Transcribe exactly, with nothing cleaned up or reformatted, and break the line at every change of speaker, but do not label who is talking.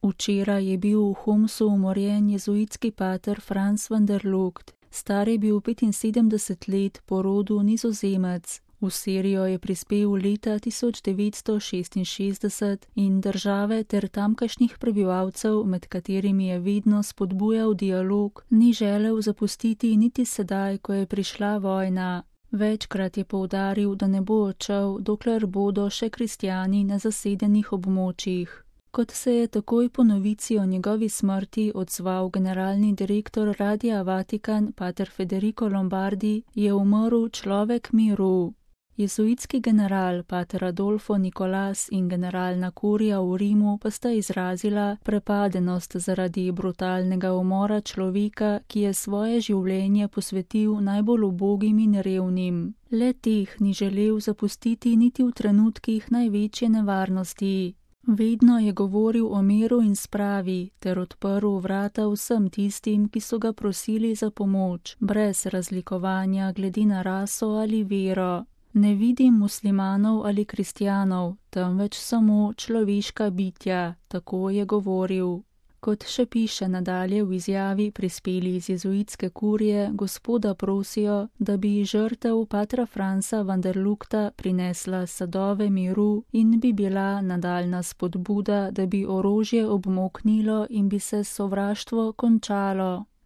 Včeraj je bil v Homsu umorjen jezuitski pater Franz van der Lugt. Star je bil petinsedemdeset let, po rodu Nizozemec. V Sirijo je prispel leta tisoč devetsto šestinšestdeset in države ter tamkajšnjih prebivalcev, med katerimi je vedno spodbujal dialog, ni želel zapustiti niti sedaj, ko je prišla vojna. Večkrat je poudaril, da ne bo odšel, dokler bodo še kristjani na zasedenih območjih. Kot se je takoj po novici o njegovi smrti odzval generalni direktor Radia Vatikan, pater Federico Lombardi, je umrl človek miru. Jezuitski general, pater Adolfo Nicolas in generalna kurija v Rimu pa sta izrazila prepadenost zaradi brutalnega umora človeka, ki je svoje življenje posvetil najbolj ubogim in revnim. Le teh ni želel zapustiti niti v trenutkih največje nevarnosti. Vedno je govoril o miru in spravi ter odprl vrata vsem tistim, ki so ga prosili za pomoč, brez razlikovanja glede na raso ali vero. Ne vidim muslimanov ali kristjanov, temveč samo človeška bitja, tako je govoril. Kot še piše nadalje v izjavi prispeli iz jezuitske kurije, gospoda prosijo, da bi žrtev patra Franza van der Lugta prinesla sadove miru in bi bila nadaljna spodbuda, da bi orožje obmoknilo in bi se sovraštvo končalo.